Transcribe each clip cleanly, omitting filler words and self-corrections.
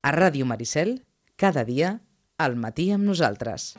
A Ràdio Maricel, cada dia, al matí amb nosaltres.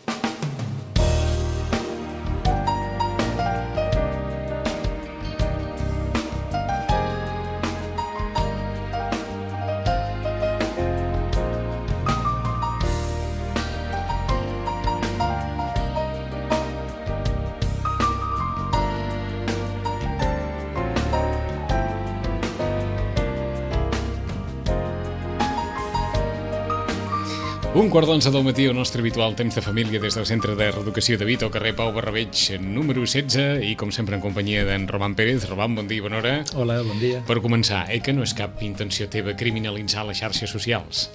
Un quart d'11 del matí, el nostre habitual temps de família des del Centre de Reeducació de Vito, carrer Pau Barrabeig, número 16, i com sempre en companyia d'en Roman Pérez. Roman, bon dia i bona hora. Hola, bon dia. Per començar, que no és cap intenció teva criminalitzar les xarxes socials?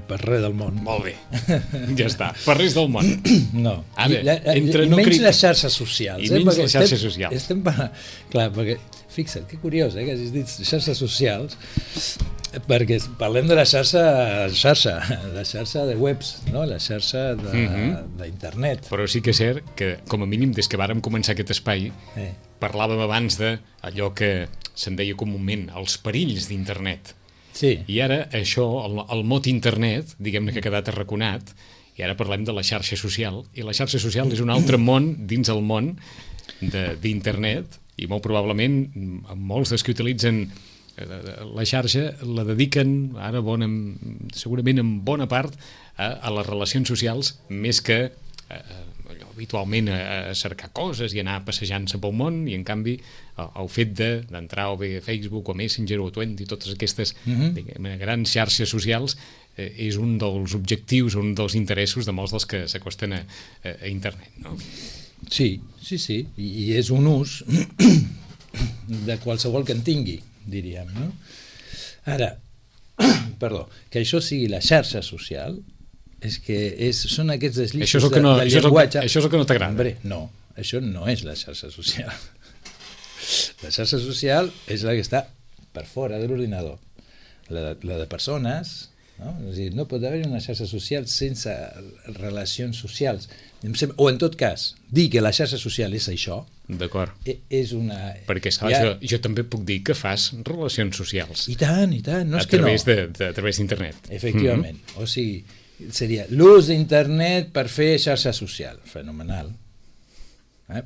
Per res del món. Molt bé, ja està, per res del món. No, Ara, i menys les xarxes socials. I menys les xarxes socials. Clar, perquè, fixa't, que curiós, que hagis dit xarxes socials, perquè parlem de la xarxa de webs, no? La xarxa d'internet. Però sí que és cert que, com a mínim, des que vàrem començar aquest espai, parlàvem abans d'allò que se'n deia comúment els perills d'internet. Sí. I ara això, el mot internet, diguem-ne que ha quedat arraconat, i ara parlem de la xarxa social, i la xarxa social és un altre món dins el món d'internet, i molt probablement molts dels que utilitzen la xarxa la dediquen ara segurament en bona part a les relacions socials més que habitualment a cercar coses i anar passejant-se pel món, i en canvi el fet d'entrar o bé a Facebook o a Messenger o a Twenty, totes aquestes grans xarxes socials, és un dels objectius, un dels interessos de molts dels que s'acosten a internet, no? Sí, i és un ús de qualsevol que en tingui, diríem, no? Ara, que això sigui la xarxa social és que són aquests deslizos del llenguatge. Això és el que no t'agrada. Hombre, no, això no és la xarxa social. La xarxa social és la que està per fora de l'ordinador, la de persones, no? És a dir, no pot haver una xarxa social sense relacions socials, o en tot cas dir que la xarxa social és això. D'acord. És una... Perquè esclar, jo també puc dir que fas relacions socials. I tant, no és que no. A través d'internet. Efectivament. O sigui, seria l'ús d'internet per fer xarxa social. Fenomenal.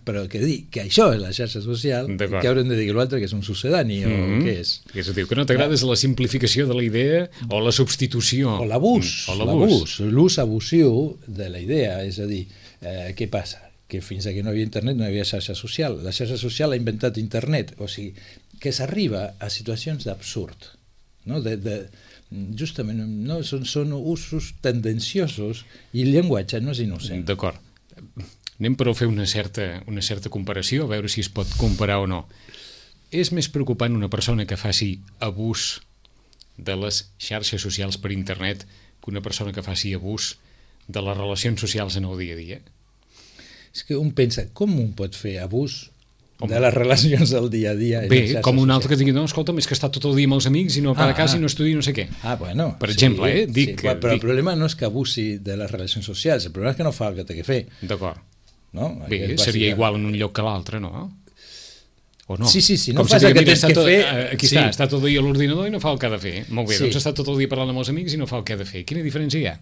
Però que dir que això és la xarxa social, que haurem de dir que l'altre que és un sucedani o què és? Que és a dir, que no t'agrada és la simplificació de la idea o la substitució. O l'abús. L'ús abusiu de la idea. És a dir, què passa? Que fins que no hi havia internet no hi havia xarxa social. La xarxa social ha inventat internet, o sigui, que s'arriba a situacions d'absurd, no? Justament, no? Són usos tendenciosos i el llenguatge no és innocent. D'acord. Anem però a fer una certa comparació, a veure si es pot comparar o no. És més preocupant una persona que faci abús de les xarxes socials per internet que una persona que faci abús de les relacions socials en el dia a dia? És que un pensa, com un pot fer abús de les relacions del dia a dia? Bé, com un altre que digui, no, escolta'm, és que està tot el dia amb els amics i no va a casa i no estudia no sé què. Bueno. Per exemple, però el problema no és que abusi de les relacions socials, el problema és que no fa el que té que fer. D'acord. No? Bé, seria igual en un lloc que l'altre, no? O no? Sí, no fas el que tens que fer... Aquí està tot el dia a l'ordinador i no fa el que ha de fer. Molt bé, doncs està tot el dia parlant amb els amics i no fa el que ha de fer. Quina diferència hi ha?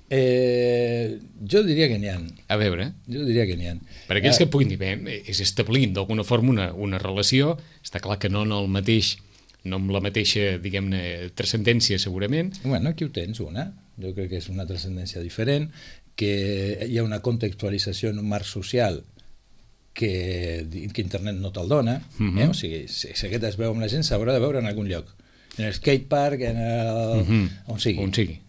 Jo diria que n'hi ha. A veure. Jo diria que n'hi ha. Per aquells que puguin dir, bé, és establint d'alguna forma una relació, està clar que no amb la mateixa, diguem-ne, transcendència, segurament. Bueno, aquí ho tens, una. Jo crec que és una transcendència diferent, que hi ha una contextualització en un marc social que internet no te'l dona. O sigui, si aquest es veu amb la gent, s'haurà de veure en algun lloc. En el skatepark, on sigui.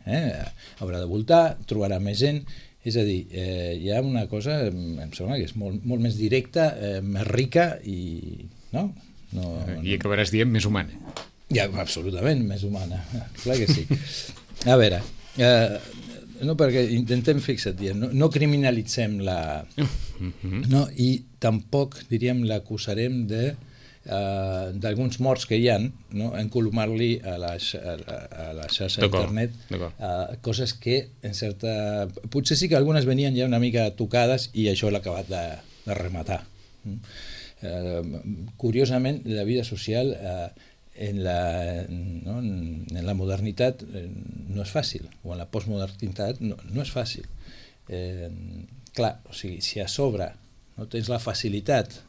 Haurà de voltar, trobarà més gent. És a dir, hi ha una cosa, em sembla que és molt més directa, més rica i... No? I acabaràs dient més humana. Ja, absolutament més humana, clar que sí. A veure, no, perquè intentem, fixa't, no criminalitzem la... No, i tampoc, diríem, l'acusarem d'alguns morts que hi ha, no? Encolomar-li a la xarxa d'internet coses que en certa... Potser sí que algunes venien ja una mica tocades i això l'ha acabat de rematar. Curiosament, la vida social en la modernitat no és fàcil, o en la postmodernitat no és fàcil. Clar, o sigui, si a sobre no tens la facilitat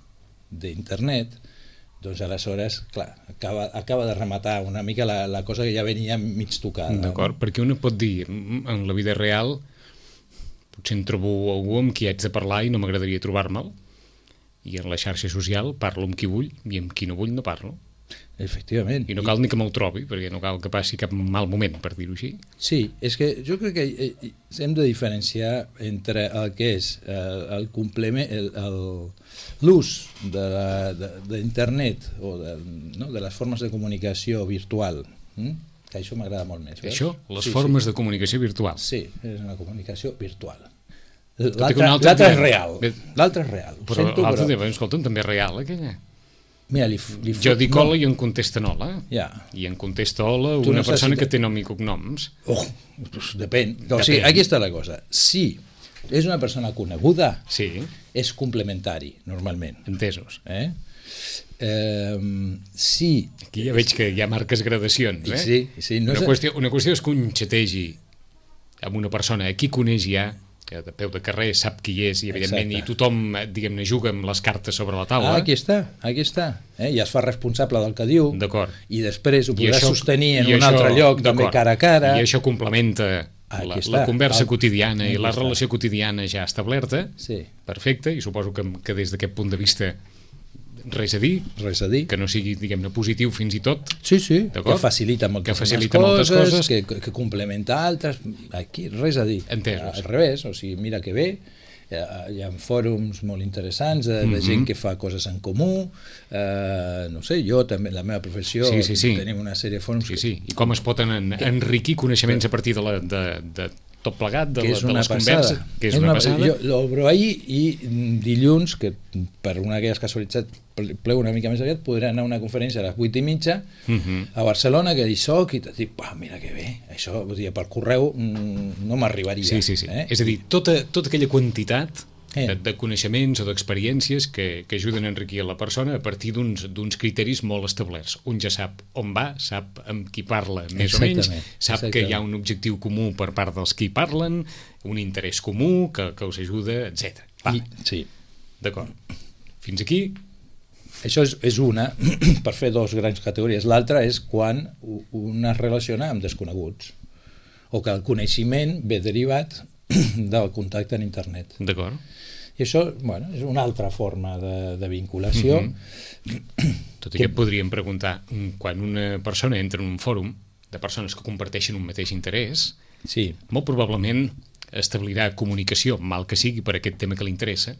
d'internet, doncs aleshores, clar, acaba de rematar una mica la cosa que ja venia mig tocada. D'acord, perquè un pot dir, en la vida real, potser em trobo algú amb qui haig de parlar i no m'agradaria trobar-me'l, i en la xarxa social parlo amb qui vull i amb qui no vull no parlo. Efectivament. I no cal ni que me'l trobi, perquè no cal que passi cap mal moment, per dir-ho així. Sí, és que jo crec que hem de diferenciar entre el que és el complement, l'ús d'internet o de les formes de comunicació virtual, que això m'agrada molt més. Això? Les formes de comunicació virtual. Sí, és una comunicació virtual. L'altre és real. L'altre és real. Però l'altre diu, escolta'm, també és real, aquella. Mira, jo dic hola i em contesten hola. Ja. I em contesta hola una persona que té nom i cognoms. Doncs depèn. O sigui, aquí està la cosa. Si és una persona coneguda, és complementari, normalment. Entesos. Sí. Aquí ja veig que hi ha marques gradacions. Sí. Una qüestió és que un xategi amb una persona a qui coneix ja, que de peu de carrer sap qui és i evidentment i tothom, diguem-ne, juga amb les cartes sobre la taula. Aquí està. I es fa responsable del que diu. D'acord. I després ho podrà sostenir en un altre lloc, també cara a cara. I això complementa la conversa quotidiana i la relació quotidiana ja establerta. Sí. Perfecte, i suposo que des d'aquest punt de vista res a dir, que no sigui, diguem-ne, positiu fins i tot. Sí, que facilita moltes coses, que complementa altres. Aquí res a dir. Entesos. Al revés, o sigui, mira que bé, hi ha fòrums molt interessants de gent que fa coses en comú, no sé, jo també, la meva professió, tenim una sèrie de fòrums. I com es poden enriquir coneixements a partir de tot plegat, de les converses, que és una passada. Jo l'obro ahir i dilluns, que per una d'aquelles casualitats pleu una mica més aviat, podré anar a una conferència a les 8:30 a Barcelona, que hi soc, i dic, mira que bé, això per correu no m'arribaria. Sí. És a dir, tota aquella quantitat de coneixements o d'experiències que ajuden a enriquir la persona a partir d'uns criteris molt establerts. Un ja sap on va, sap amb qui parla més o menys, sap que hi ha un objectiu comú per part dels qui parlen, un interès comú que us ajuda, etc. Sí. D'acord. Fins aquí. Això és una, per fer dos grans categories. L'altra és quan un es relaciona amb desconeguts o que el coneixement ve derivat del contacte en internet. D'acord. I això, és una altra forma de vinculació. Tot i que podríem preguntar, quan una persona entra en un fòrum de persones que comparteixen un mateix interès, molt probablement establirà comunicació, mal que sigui per aquest tema que li interessa,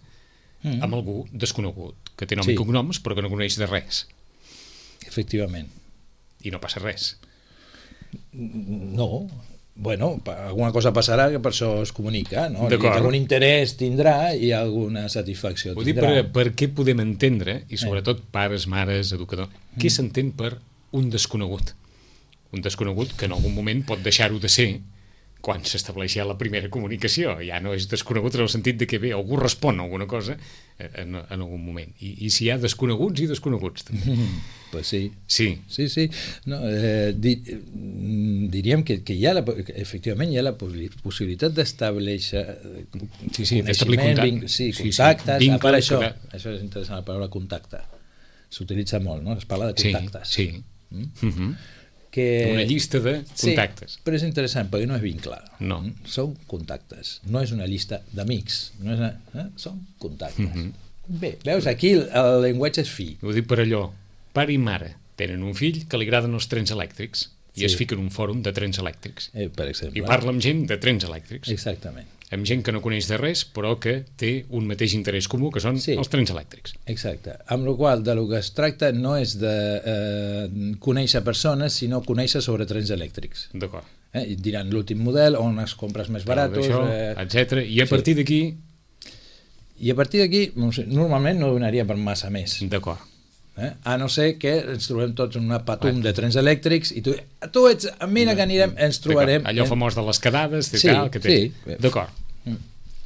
amb algú desconegut, que té nom i cognoms però que no coneix de res. Efectivament. I no passa res. No. Alguna cosa passarà que per això es comunica, no? Algun interès tindrà i alguna satisfacció tindrà. Vull dir, per què podem entendre, i sobretot pares, mares, educador, què s'entén per un desconegut? Un desconegut que en algun moment pot deixar-ho de ser quan s'estableix ja la primera comunicació. Ja no és desconegut en el sentit de que bé, algú respon a alguna cosa en algun moment. I si hi ha desconeguts i desconeguts també. Pues sí. Sí. No, diríem que efectivament hi ha la possibilitat d'establir coneixement, contactes. Això és interessant, la paraula contacte. S'utilitza molt, no? Es parla de contactes. Una llista de contactes. Sí, però és interessant perquè no és vincle. No. Són contactes, no és una llista d'amics, són contactes. Bé, veus, aquí el llenguatge és fi. Ho dic per allò, pare i mare tenen un fill que li agraden els trens elèctrics i es fica en un fòrum de trens elèctrics. Per exemple. I parla amb gent de trens elèctrics. Exactament. Amb gent que no coneix de res, però que té un mateix interès comú, que són els trens elèctrics. Exacte. Amb la qual cosa, del que es tracta no és de conèixer persones, sinó conèixer sobre trens elèctrics. D'acord. Diran l'últim model, on es compres més baratos, etc. I a partir d'aquí... I a partir d'aquí, normalment no donaria per massa més. D'acord. A no ser que ens trobem tots en una patum de trens elèctrics i tu ets, mira que anirem, ens trobarem... Allò famós de les quedades, que té. D'acord.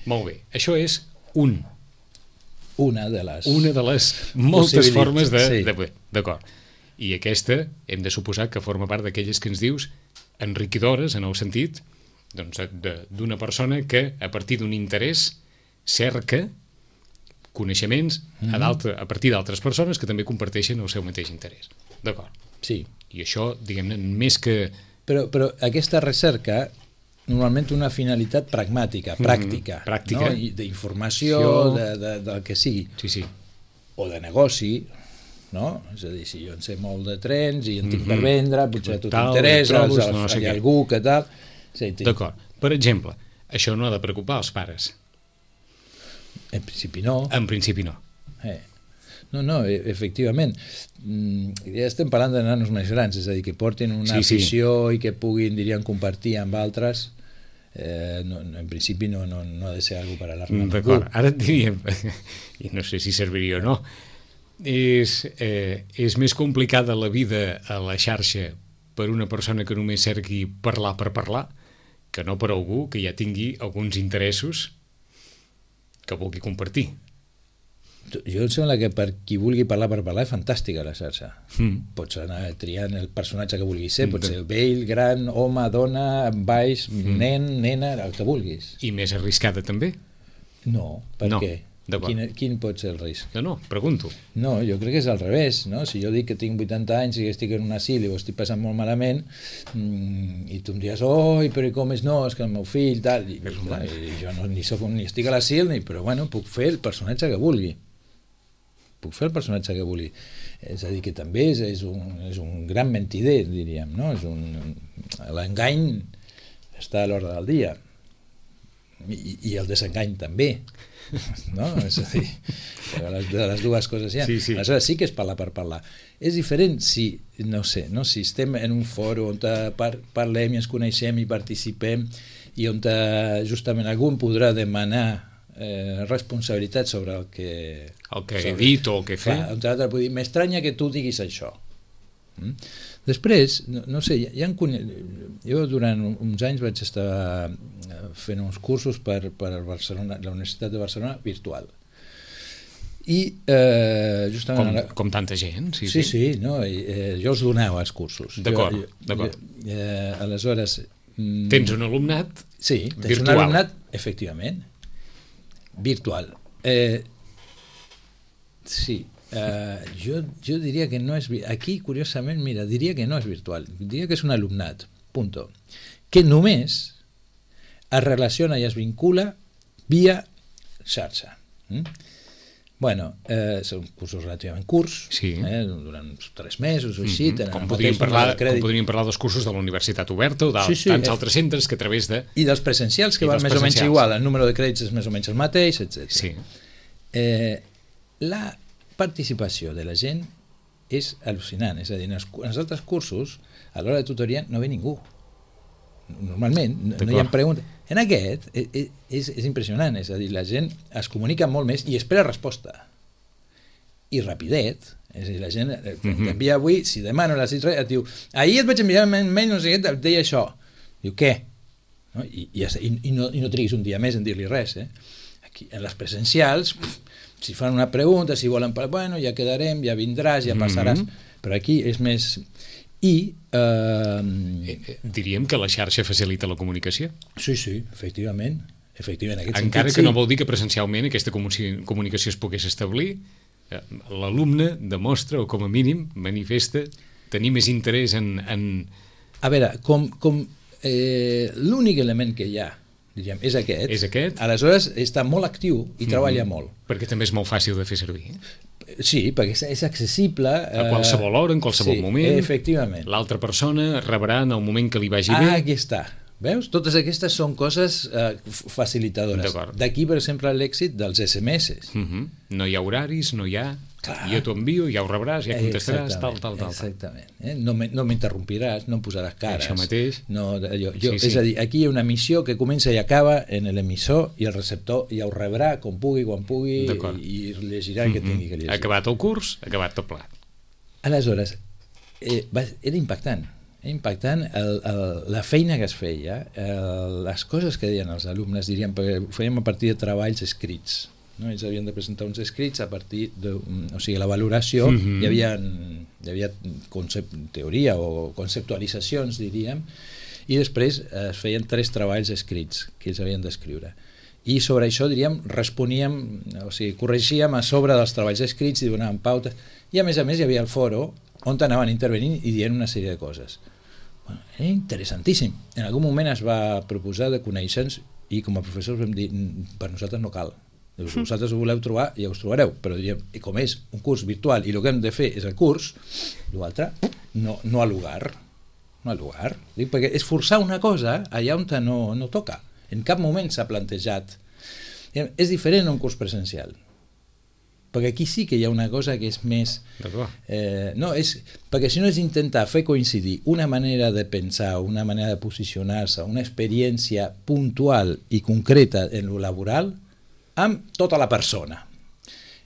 Molt bé. Això és una de les moltes formes de... D'acord. I aquesta hem de suposar que forma part d'aquelles que ens dius enriquidores, en el sentit doncs, d'una persona que a partir d'un interès cerca coneixements a partir d'altres persones que també comparteixen el seu mateix interès. D'acord? Sí. I això, diguem-ne, més que... Però aquesta recerca normalment una finalitat pragmàtica, pràctica, pràctica. No? D'informació, del que sigui. Sí. O de negoci, no? És a dir, si jo en sé molt de trens i en tinc per vendre, potser a tu t'interessa, hi ha algú que tal... Sí, d'acord. Per exemple, això no ha de preocupar els pares. En principi no. En principi no. No, efectivament. Ja estem parlant de nanos més grans, és a dir, que portin una afició i que puguin, diríem, compartir amb altres. En principi no ha de ser algo per alarmar. D'acord, ara et diríem, i no sé si serviria o no, és més complicada la vida a la xarxa per una persona que només cerqui parlar per parlar, que no per algú que ja tingui alguns interessos que vulgui compartir. Jo em sembla que per qui vulgui parlar per parlar és fantàstica la xarxa. Pots anar triant el personatge que vulguis ser, pot ser vell, gran, home, dona, baix, nen, nena, el que vulguis. I més arriscada també? No, per què? Quin pot ser el risc? No, pregunto. No, jo crec que és al revés, no? Si jo dic que tinc 80 anys i que estic en un asil i ho estic passant molt malament i tu em dius, però com és no, és que el meu fill, tal, i jo ni estic a l'asil, però bueno, puc fer el personatge que vulgui. És a dir, que també és un gran mentider, diríem, no? L'engany està a l'ordre del dia i el desengany també, no? És a dir, de les dues coses hi ha. Aleshores sí que és parlar per parlar. És diferent si, si estem en un foro on parlem i ens coneixem i participem i on justament algú podrà demanar responsabilitat sobre el que he dit o el que he fet. Un altre pot dir, m'estranya que tu diguis això. Després, no sé, jo durant uns anys vaig estar fent uns cursos per Barcelona, la Universitat de Barcelona virtual. I justament... Com tanta gent? Sí, no, jo els donava els cursos. D'acord. Aleshores... Tens un alumnat virtual. Sí, tens un alumnat, efectivament, virtual. Sí, jo diria que no és... Aquí, curiosament, mira, diria que no és virtual, diria que és un alumnat, punto, que només es relaciona i es vincula via xarxa. Bueno, són cursos relativament curts, durant uns 3 mesos o així. Com podríem parlar dels cursos de la Universitat Oberta o de tants altres centres que a través de... I dels presencials, que van més o menys igual, el número de crèdits és més o menys el mateix, etc. La participació de la gent és al·lucinant, és a dir, en els altres cursos, a l'hora de tutoria no ve ningú. Normalment, no hi ha preguntes. En aquest és impressionant, és a dir, la gent es comunica molt més i espera resposta. I rapidet, és a dir, la gent t'envia avui, si demà no l'has dit res, et diu, ahir et vaig enviar un mail, no sé què, et deia això. Diu, què? I no triguis un dia més en dir-li res. Aquí, en les presencials, si fan una pregunta, si volen, bueno, ja quedarem, ja vindràs, ja passaràs, però aquí és més... Diríem que la xarxa facilita la comunicació? Sí, efectivament. Encara que no vol dir que presencialment aquesta comunicació es pogués establir, l'alumne demostra, o com a mínim manifesta, tenir més interès en... A veure, com l'únic element que hi ha, diríem, és aquest, aleshores està molt actiu i treballa molt. Perquè també és molt fàcil de fer servir. Sí, perquè és accessible a qualsevol hora, en qualsevol moment. Efectivament. L'altra persona rebrà en el moment que li vagi bé. Aquí està. Veus? Totes aquestes són coses facilitadores. D'aquí, per exemple, l'èxit dels SMS. No hi ha horaris, no hi ha... Jo t'ho envio, ja ho rebràs, ja contestaràs, tal. Exactament. No m'interrompiràs, no em posaràs cares. Això mateix. És a dir, aquí hi ha una missió que comença i acaba en l'emissor i el receptor ja ho rebrà com pugui, quan pugui i llegirà el que tingui que llegir. Acabat el curs, acabat tot plat. Aleshores, era impactant. La feina que es feia, les coses que deien els alumnes, diríem, perquè ho fèiem a partir de treballs escrits. no? Ells havien de presentar uns escrits a partir de... O sigui, la valoració, hi havia teoria o conceptualitzacions, diríem, i després es feien 3 treballs escrits que ells havien d'escriure. I sobre això, diríem, responíem, o sigui, corregíem a sobre dels treballs escrits i donàvem pautes. I a més hi havia el foro on anaven intervenint i dient una sèrie de coses. Bueno, era interessantíssim. En algun moment es va proposar de conèixer-nos i com a professors vam dir, per nosaltres no cal. Vosaltres ho voleu trobar i ja us trobareu, però diríem, i com és un curs virtual i el que hem de fer és el curs, l'altre no al lugar. No al lugar. Dic, perquè és forçar una cosa allà on no toca. En cap moment s'ha plantejat. És diferent un curs presencial. Perquè aquí sí que hi ha una cosa que és més... perquè si no és intentar fer coincidir una manera de pensar, una manera de posicionar-se, una experiència puntual i concreta en lo laboral amb tota la persona.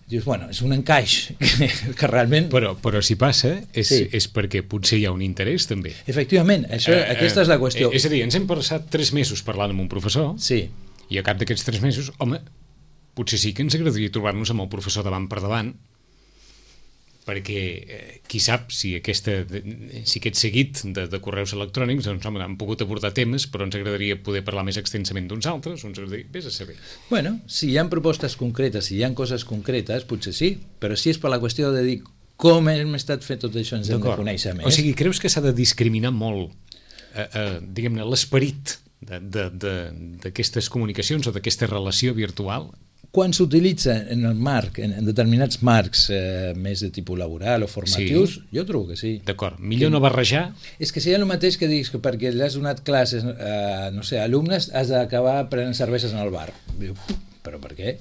Dius, bueno, és un encaix que realment... Però si passa és perquè potser hi ha un interès també. Efectivament, aquesta és la qüestió. És a dir, ens hem passat 3 mesos parlant amb un professor i a cap d'aquests 3 mesos, home, potser sí que ens agradaria trobar-nos amb el professor davant per davant, perquè qui sap si aquest seguit de correus electrònics doncs, home, han pogut abordar temes, però ens agradaria poder parlar més extensament d'uns altres, ens agradaria... Vés a saber. Bueno, si hi ha propostes concretes, si hi ha coses concretes, potser sí, però si és per la qüestió de dir com hem estat fent tot això, ens hem de conèixer més. O sigui, creus que s'ha de discriminar molt, diguem-ne, l'esperit d'aquestes comunicacions o d'aquesta relació virtual? Quan s'utilitza en el marc, en determinats marcs més de tipus laboral o formatius, jo trobo que sí. D'acord, millor no barrejar. És que seria el mateix que diguis que perquè l'has donat classes a, no sé, alumnes, has d'acabar prenent cerveses en el bar. Però per què?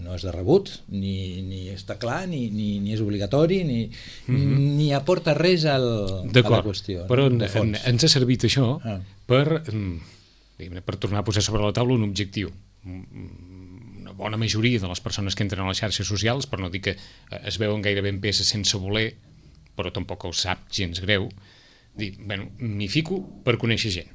No és de rebut, ni està clar, ni és obligatori, ni aporta res a la qüestió. Però ens ha servit això per tornar a posar sobre la taula un objectiu. Una bona majoria de les persones que entren a les xarxes socials, per no dir que es veuen gairebé en peces sense voler, però tampoc els sap gens greu, dir, bueno, m'hi fico per conèixer gent.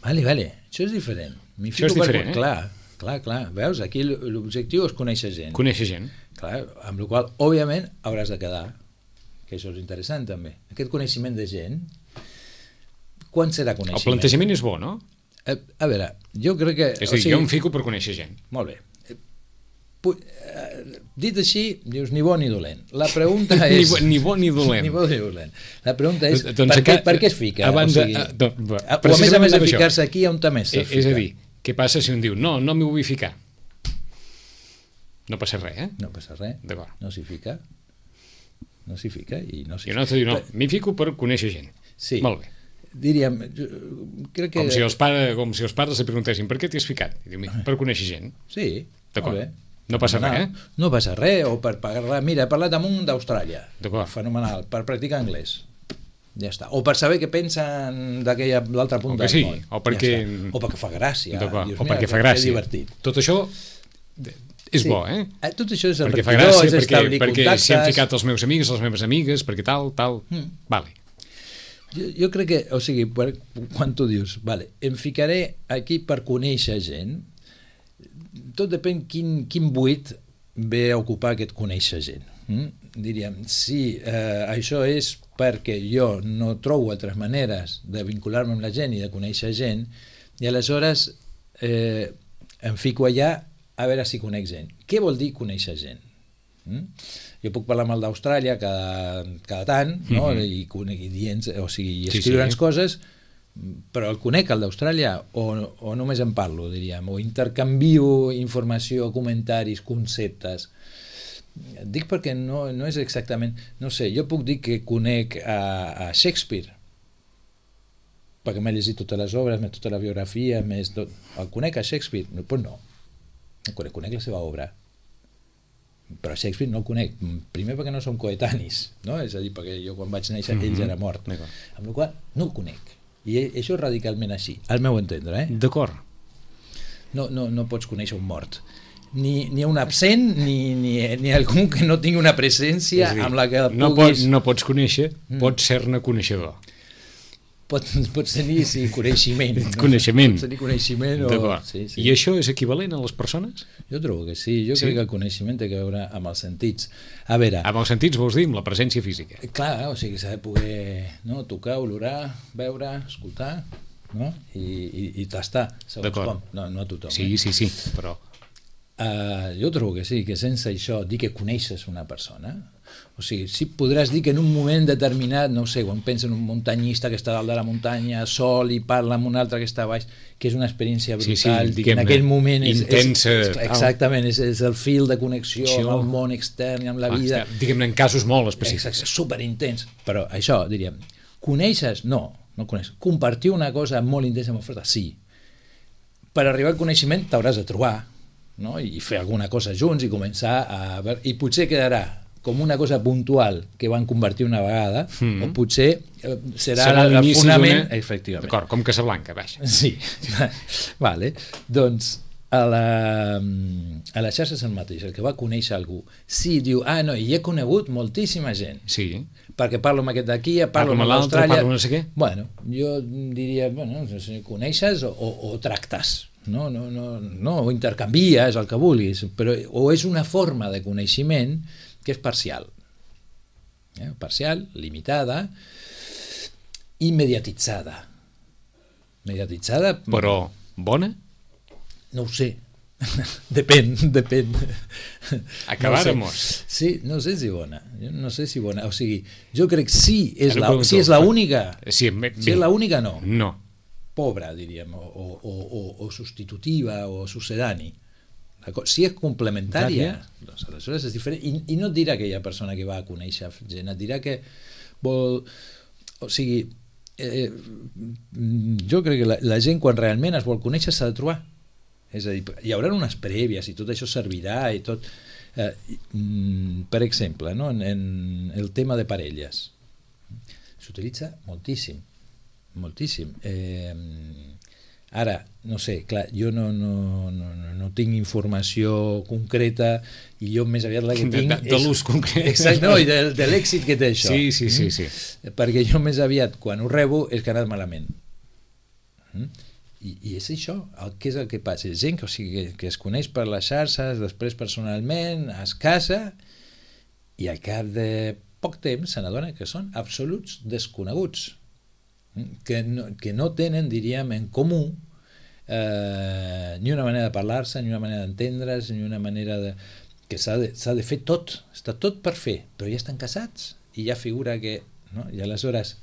Vale, això és diferent. Això és diferent, Clar. Veus, aquí l'objectiu és conèixer gent. Conèixer gent. Clar, amb la qual, òbviament, hauràs de quedar, que això és interessant també. Aquest coneixement de gent, quan serà coneixement? El plantejament és bo, no? A veure, jo crec que... És a dir, jo em fico per conèixer gent. Molt bé. Dit així, dius ni bo ni dolent. La pregunta és... ni bo ni dolent. Ni bo ni dolent. La pregunta és, per què es fica? O a més de ficar-se aquí, on també s'ha ficat? És a dir, què passa si un diu, no m'hi vull ficar? No passa res, No passa res. D'acord. No s'hi fica. No s'hi fica i no s'hi fica. I un altre diu, no, m'hi fico per conèixer gent. Sí. Molt bé. Diríem, crec que... Com si els pares se preguntessin per què t'hi has ficat? I diu, per conèixer gent. Sí, molt bé. No passa res, No passa res, o per parlar... Mira, he parlat amb un d'Austràlia. Fenomenal, per practicar anglès. Ja està. O per saber què pensen l'altre punt del món. O perquè fa gràcia. O perquè fa gràcia. Tot això és bo, Tot això és enriquidor, és establir contactes. Perquè s'hi han ficat els meus amics, les meves amigues, perquè tal. Vale. Jo crec que, o sigui, quan tu dius, vale, em ficaré aquí per conèixer gent, tot depèn quin buit ve a ocupar aquest conèixer gent. Diríem, si això és perquè jo no trobo altres maneres de vincular-me amb la gent i de conèixer gent, i aleshores em fico allà a veure si conec gent. Què vol dir conèixer gent? Jo puc parlar amb el d'Austràlia cada tant, no? I escriure'ns coses, però el conec, el d'Austràlia, o només en parlo, diríem, o intercanvio informació, comentaris, conceptes. Dic perquè no és exactament... No sé, jo puc dir que conec a Shakespeare, perquè m'he llegit totes les obres, tota la biografia, el conec a Shakespeare? Doncs no. Conec la seva obra. Però Shakespeare no el conec, primer perquè no som coetanis, no? És a dir, perquè jo quan vaig néixer ell ja era mort, amb la qual no el conec, i això és radicalment així, al meu entendre. D'acord. No pots conèixer un mort, ni un absent, ni algú que no tingui una presència amb la que puguis... No pots conèixer, pots ser-ne coneixedor. Pots tenir coneixement. Coneixement. Pots tenir coneixement Sí. I això és equivalent a les persones? Jo trobo que sí. Jo crec que el coneixement té a veure amb els sentits. A veure... Amb els sentits vols dir amb la presència física? Clar, o sigui, s'ha de poder tocar, olorar, veure, escoltar, no? I tastar, segons com. No a tothom. Sí, però... Jo trobo que sí, que sense això dir que coneixes una persona, o sigui, sí podràs dir que en un moment determinat, no sé, quan pensa en un muntanyista que està dalt de la muntanya sol i parla amb un altre que està a baix, que és una experiència brutal, que en aquell moment intensa, exactament, és el fil de connexió amb el món extern i amb la vida, diguem-ne en casos molt específics, superintens. Però això, diríem, coneixes? No coneixes. Compartir una cosa molt intensa, molt forta? Sí. Per arribar al coneixement t'hauràs de trobar, no? I fer alguna cosa junts i començar a veure, i potser quedarà com una cosa puntual que van convertir una vegada, o potser serà el fonament... Efectivament. D'acord, com Casablanca, vaja. Sí, vale. Doncs a la xarxa és el mateix, el que va conèixer algú. Sí, diu, no, i he conegut moltíssima gent. Sí. Perquè parlo amb aquest d'aquí, parlo amb l'Austràlia... Parlo no sé què. Bueno, jo diria, no sé si coneixes o tractes. No, o intercanvies el que vulguis, però o és una forma de coneixement que és parcial, limitada i mediatitzada. Però bona? No ho sé, depèn. Acabáramos. Sí, no sé si bona. O sigui, jo crec que si és l'única, si és l'única no. Pobra, diríem, o substitutiva o sucedani. Si és complementària, doncs aleshores és diferent. I no et dirà aquella persona que va a conèixer gent, et dirà que vol... O sigui, jo crec que la gent quan realment es vol conèixer s'ha de trobar. És a dir, hi haurà unes prèvies i tot això servirà i tot... Per exemple, no? En el tema de parelles s'utilitza moltíssim. Ara, no sé, clar, jo no tinc informació concreta i jo més aviat la que tinc de l'ús concret. Exacte, no, i de l'èxit que té això. Sí. Perquè jo més aviat quan ho rebo és que ha anat malament. I és això, què és el que passa? És gent que es coneix per les xarxes, després personalment, es casa i al cap de poc temps se n'adona que són absoluts desconeguts. Que no tenen, diríem, en comú ni una manera de parlar-se, ni una manera d'entendre's, ni una manera de... que s'ha de fer tot, està tot per fer, però ja estan casats i ja figura que... No? I aleshores,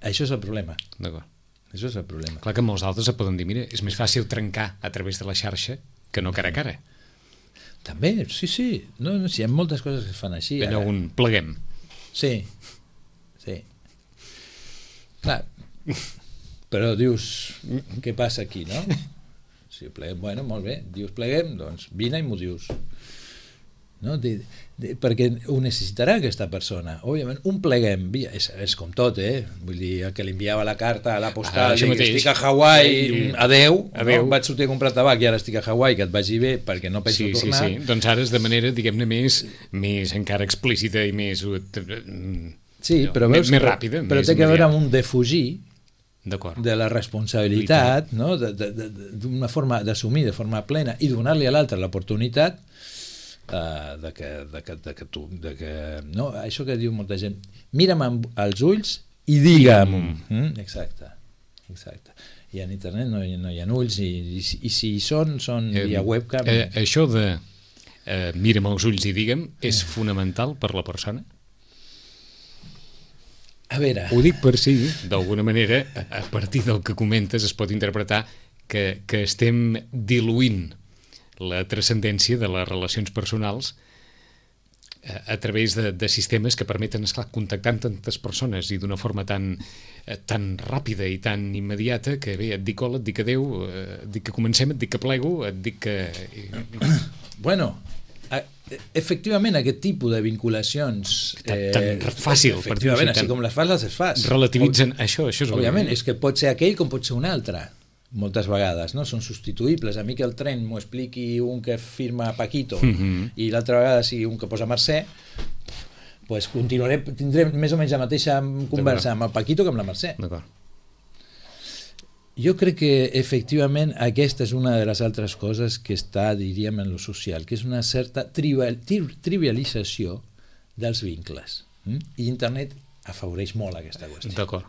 això és el problema. D'acord. Això és el problema. Clar que molts d'altres poden dir, mira, és més fàcil trencar a través de la xarxa que no cara a cara. També, sí. No, hi ha moltes coses que es fan així. Allò un pleguem. Sí. Clar, però dius, què passa aquí, no? Si pleguem, bueno, molt bé, dius pleguem, doncs vine i m'ho dius. No? Perquè ho necessitarà aquesta persona. Òbviament, un pleguem, és com tot, vull dir, el que li enviava la carta a la postal, que estic a Hawaii, adeu. No? Vaig sortir a comprar tabac i ara estic a Hawaii, que et vagi bé perquè no penso tornar. Sí. Doncs ara és de manera, diguem-ne, més encara explícita i més... Sí, però veus, més ràpida, però té que veure amb un defugir de la responsabilitat, no? D'una forma d'assumir de forma plena i donar-li a l'altre l'oportunitat de que tu... no? Això que diu molta gent, mira'm als ulls i digue'm. Exacte. I en internet no hi ha ulls i si hi són via webcam. Això de mira'm als ulls i digue'm és fonamental per la persona? A veure... Ho dic per si, d'alguna manera, a partir del que comentes es pot interpretar que estem diluint la transcendència de les relacions personals a través de sistemes que permeten, esclar, contactar amb tantes persones i d'una forma tan ràpida i tan immediata que bé, et dic hola, et dic adeu, et dic que comencem, et dic que plego, et dic que... Bueno... efectivament aquest tipus de vinculacions tan fàcil, efectivament, així com les fas, les fas, relativitzen això és òbviament, és que pot ser aquell com pot ser un altre moltes vegades, no? Són substituïbles. A mi que el tren m'ho expliqui un que firma Paquito i l'altra vegada sigui un que posa Mercè, pues tindré més o menys la mateixa conversa amb el Paquito que amb la Mercè. D'acord. Jo crec que efectivament aquesta és una de les altres coses que està, diríem, en lo social, que és una certa trivialització dels vincles. I internet afavoreix molt aquesta qüestió. D'acord.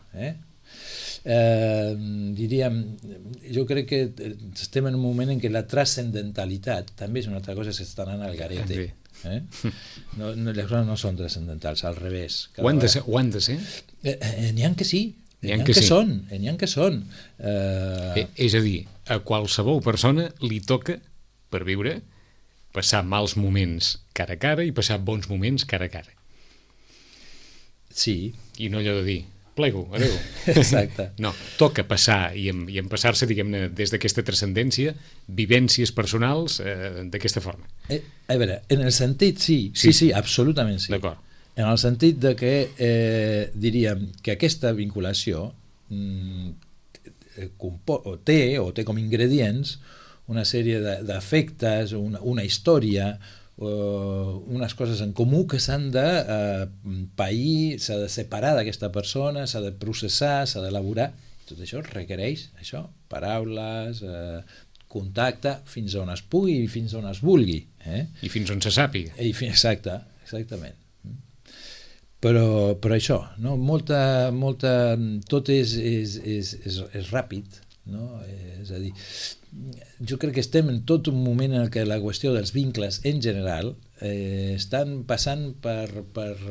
Diríem, jo crec que estem en un moment en què la transcendentalitat també és una altra cosa que s'està anant al garete. Les coses no són transcendentals, al revés. Ho han de ser? N'hi ha que sí. N'hi ha que són. És a dir, a qualsevol persona li toca, per viure, passar mals moments cara a cara i passar bons moments cara a cara. Sí. I no allò de dir, plego, adeu. Exacte. No, toca passar i en passar-se, diguem-ne, des d'aquesta transcendència, vivències personals d'aquesta forma. A veure, en el sentit, sí, absolutament sí. D'acord. En el sentit de que diríem que aquesta vinculació té com ingredients una sèrie d'efectes, una història, unes coses en comú que s'han de pair, s'ha de separar d'aquesta persona, s'ha de processar, s'ha d'elaborar. Tot això requereix paraules, contacte, fins on es pugui i fins on es vulgui. I fins on se sàpiga. Exactament. Però això, no? Tot és ràpid, no? És a dir, jo crec que estem en tot un moment en què la qüestió dels vincles en general estan passant per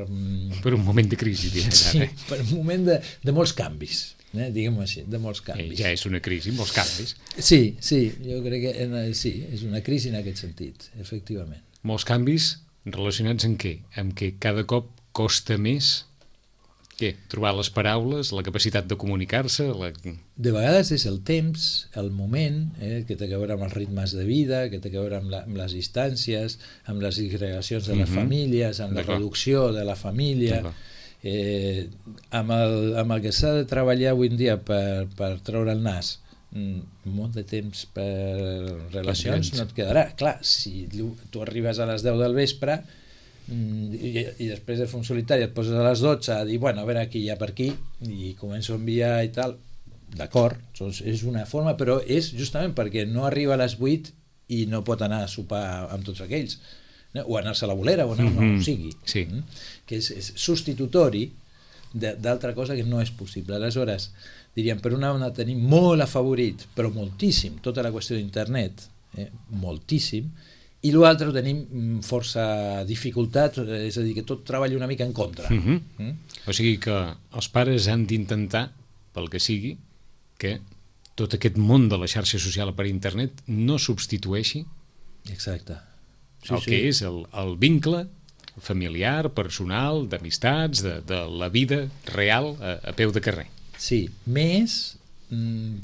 un moment de crisi. Sí, per un moment de molts canvis, diguem-ho així, de molts canvis. Ja és una crisi, molts canvis. Sí, jo crec que sí, és una crisi en aquest sentit, efectivament. Molts canvis relacionats amb què? Amb què cada cop costa més trobar les paraules, la capacitat de comunicar-se? De vegades és el temps, el moment, que té a veure amb els ritmes de vida, que té a veure amb les distàncies, amb les disgregacions de les famílies, amb la reducció de la família, amb el que s'ha de treballar avui en dia per treure el nas. Molt de temps per relacions no et quedarà. Clar, si tu arribes a les 10 del vespre i després de fer un solitari et poses a les 12 a dir, bueno, a veure aquí hi ha per aquí, i començo a enviar i tal, d'acord, és una forma, però és justament perquè no arriba a les 8 i no pot anar a sopar amb tots aquells, o anar-se a la bolera o anar on sigui, que és substitutori d'altra cosa que no és possible. Aleshores, diríem, per una banda tenim molt afavorit, però moltíssim, tota la qüestió d'internet, moltíssim, i l'altre tenim força dificultat, és a dir, que tot treballa una mica en contra. O sigui que els pares han d'intentar, pel que sigui, que tot aquest món de la xarxa social per internet no substitueixi el que és el vincle familiar, personal, d'amistats, de la vida real a peu de carrer. Sí, més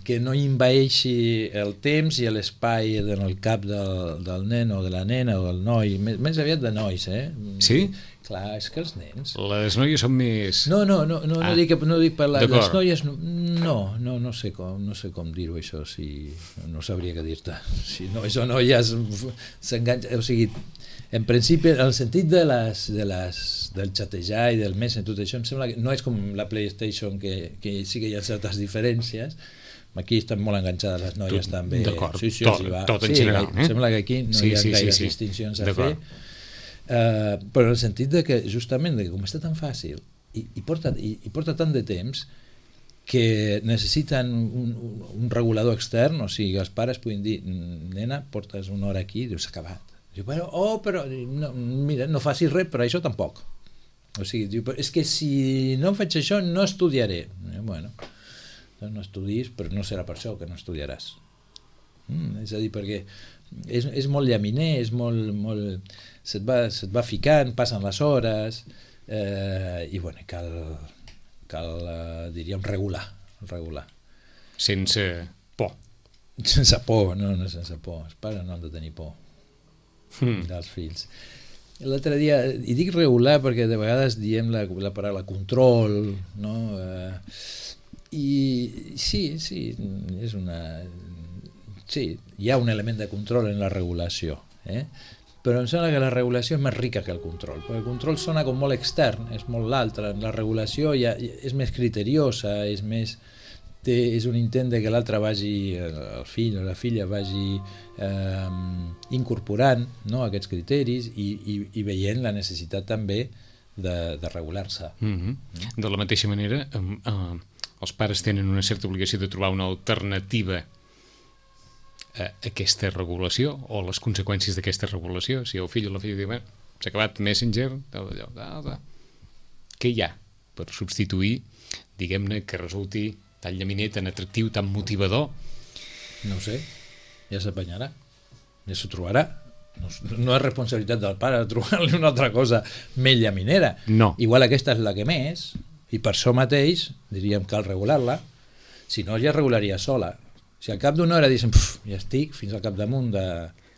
que no envaeixi el temps i l'espai en el cap del nen o de la nena o del noi, més aviat de nois, Sí? Clar, és que els nens... Les noies són més... No dic per les noies... No sé com dir-ho, això, no sabria què dir-te. Si nois o noies s'enganxen... O sigui, en principi, en el sentit del xatejar i del Messenger, tot això, em sembla que no és com la PlayStation, que sí que hi ha certes diferències. Aquí estan molt enganxades les noies també. D'acord, sí, tot en general. Sembla que aquí no hi ha gaires distincions a fer. Però en el sentit de que, justament, com està tan fàcil i porta tant de temps, que necessiten un regulador extern, o sigui, els pares puguin dir, nena, portes una hora aquí, dius, s'ha acabat. Diu, però mira, no facis res, però això tampoc. O sigui, diu, és que si no faig això no estudiaré. Bueno, doncs no estudis, però no serà per això que no estudiaràs. És a dir, perquè és molt llaminer, és molt se't va ficant, passen les hores, i bueno, cal diríem, regular. Sense por. Sense por, no sense por. Els pares no han de tenir por dels fills. L'altre dia, i dic regular perquè de vegades diem la paraula control, no? I sí, és una... Sí, hi ha un element de control en la regulació, però em sembla que la regulació és més rica que el control, perquè el control sona com molt extern, és molt l'altre, la regulació ja és més criteriosa, és més... és un intent de que l'altre vagi, el fill o la filla vagi incorporant, no, aquests criteris i veient la necessitat també de regular-se. De la mateixa manera, els pares tenen una certa obligació de trobar una alternativa a aquesta regulació o les conseqüències d'aquesta regulació. Si el fill o la filla diu, s'ha acabat Messenger, què hi ha per substituir, diguem-ne, que resulti tan llaminer, tan atractiu, tan motivador? No ho sé, ja s'apanyarà, ja s'ho trobarà. No és responsabilitat del pare trobar-li una altra cosa més llaminera. No. Igual aquesta és la que més, i per això mateix diríem cal regular-la, si no ja regularia sola. Si al cap d'una hora diguéssim, ja estic fins al capdamunt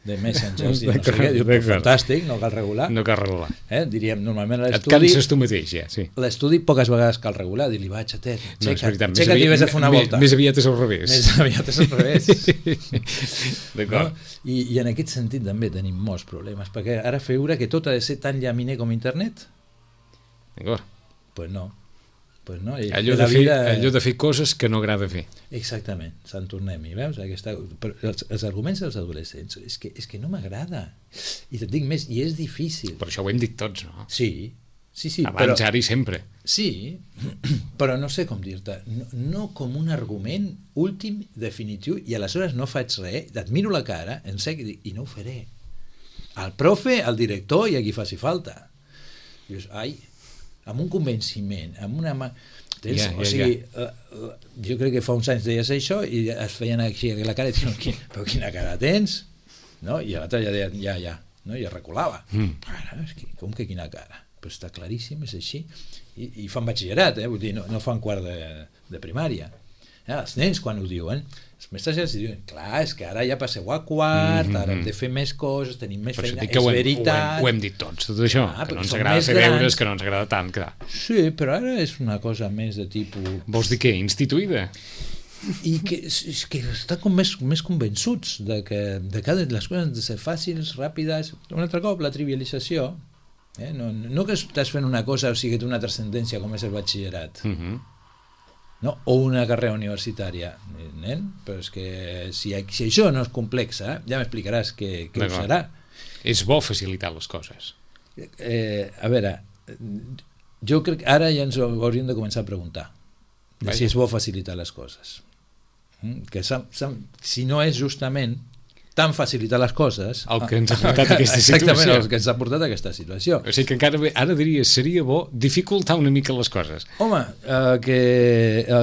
de Messenger, no sé què, diu, fantàstic, no cal regular. No cal regular. Diríem, normalment a l'estudi... Et canses tu mateix, ja, sí. L'estudi poques vegades cal regular, dir-li, va, xatet, aixeca't i vés a fer una volta. Més aviat és al revés. Més aviat és al revés. D'acord. No? I en aquest sentit també tenim molts problemes, perquè ara fer veure que tot ha de ser tan llaminer com internet? D'acord. Pues no. Allò de fer coses que no agrada fer. Exactament, se'n tornem-hi, veus? Els arguments dels adolescents és que no m'agrada, i et dic més, i és difícil. Per això ho hem dit tots, no? Sí. Abans, ara i sempre. Sí, però no sé com dir-te, no com un argument últim, definitiu, i aleshores no faig res, et miro la cara, en sec, i no ho faré. Al profe, al director i a qui faci falta. Dius, ai, amb un convenciment, amb una... O sigui, jo crec que fa uns anys deies això i es feien així la cara i diuen, però quina cara tens? No? I l'altre ja deia, ja, no? I es reculava. Com que quina cara? Però està claríssim, és així. I fan batxillerat, vull dir, no fan quart de primària. Els nens quan ho diuen, els mestres ja els diuen, clar, és que ara ja passeu a quart, ara hem de fer més coses, tenim més feina, és veritat. Ho hem dit tots, tot això, que no ens agrada fer deures, que no ens agrada tant. Sí, però ara és una cosa més de tipus... Vols dir què? Instituïda? I que estan com més convençuts de que les coses han de ser fàcils, ràpides. Un altre cop, la trivialització. No que estàs fent una cosa, o sigui, que té una transcendència com és el batxillerat. No? O una carrera universitària, nen? Però és que si això no és complex, ja m'explicaràs què ho serà. És bo facilitar les coses. A veure, jo crec que ara ja ens ho hauríem de començar a preguntar si és bo facilitar les coses. Que si no és justament tan facilitar les coses... El que ens ha portat a aquesta situació. Exactament, el que ens ha portat a aquesta situació. O sigui que encara ara diries, seria bo dificultar una mica les coses. Home, el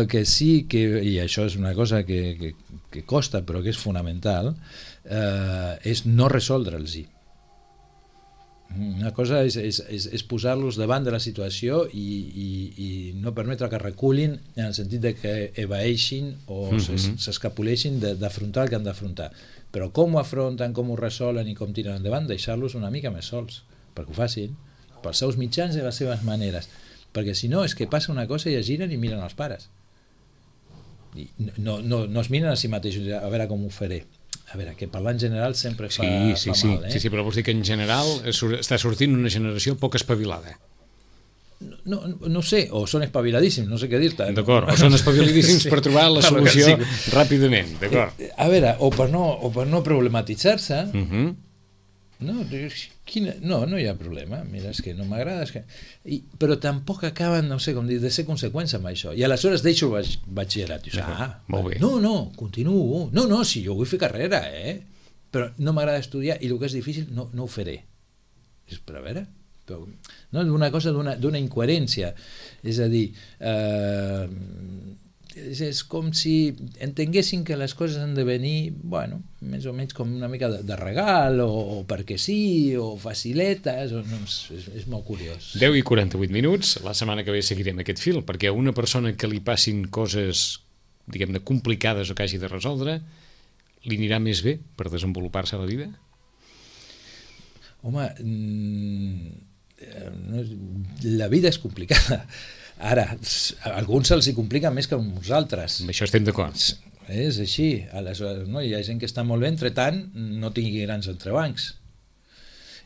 que sí, i això és una cosa que costa però que és fonamental, és no resoldre'ls-hi. Una cosa és posar-los davant de la situació i no permetre que reculin en el sentit de que evaeixin o s'escapuleixin d'afrontar el que han d'afrontar. Però com ho afronten, com ho resolen i com tiren endavant, deixar-los una mica més sols, perquè ho facin, pels seus mitjans i les seves maneres. Perquè si no, és que passa una cosa i es giren i miren els pares. I no es miren a si mateixos, a veure com ho faré. A veure, que parlar en general sempre fa mal. Sí, però vols dir que en general està sortint una generació poc espavilada. No sé, o són espaviladíssims, no sé què dir-te. D'acord, o són espaviladíssims per trobar la solució ràpidament, d'acord. A veure, o per no problematitzar-se, no hi ha problema, mira, és que no m'agrada, però tampoc acaben, no sé com dir, de ser conseqüència amb això, i aleshores deixo el batxillerat, dius, molt bé. No, continuo, no, si jo vull fer carrera, però no m'agrada estudiar i el que és difícil no ho faré. Però a veure, d'una cosa, d'una incoherència, és a dir, és com si entenguessin que les coses han de venir, bueno, més o menys com una mica de regal, o perquè sí, o faciletes, és molt curiós. 10 i 48 minuts, la setmana que ve seguirem aquest fil, perquè a una persona que li passin coses, diguem-ne, complicades o que hagi de resoldre, li anirà més bé per desenvolupar-se a la vida? Home, la vida és complicada. Ara, a alguns se'ls hi complica més que a uns altres. Amb això estem d'acord. És així. Aleshores, no? Hi ha gent que està molt bé, entre tant, no tingui grans entrebancs.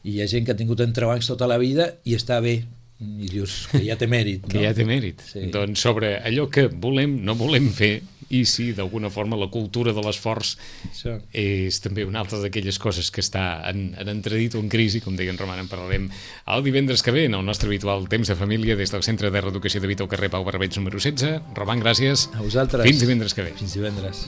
I hi ha gent que ha tingut entrebancs tota la vida i està bé, i dius que ja té mèrit, no? Que ja té mèrit. Sí. Doncs sobre allò que volem, no volem fer, i si d'alguna forma la cultura de l'esforç és també una altra d'aquelles coses que està en entredit o en crisi, com deia en Roman. En parlarem el divendres que ve en el nostre habitual Temps de Família des del Centre de Reeducació de Vita al carrer Pau Barberets número 16. Roman, gràcies. A vosaltres. Fins divendres que ve. Fins divendres.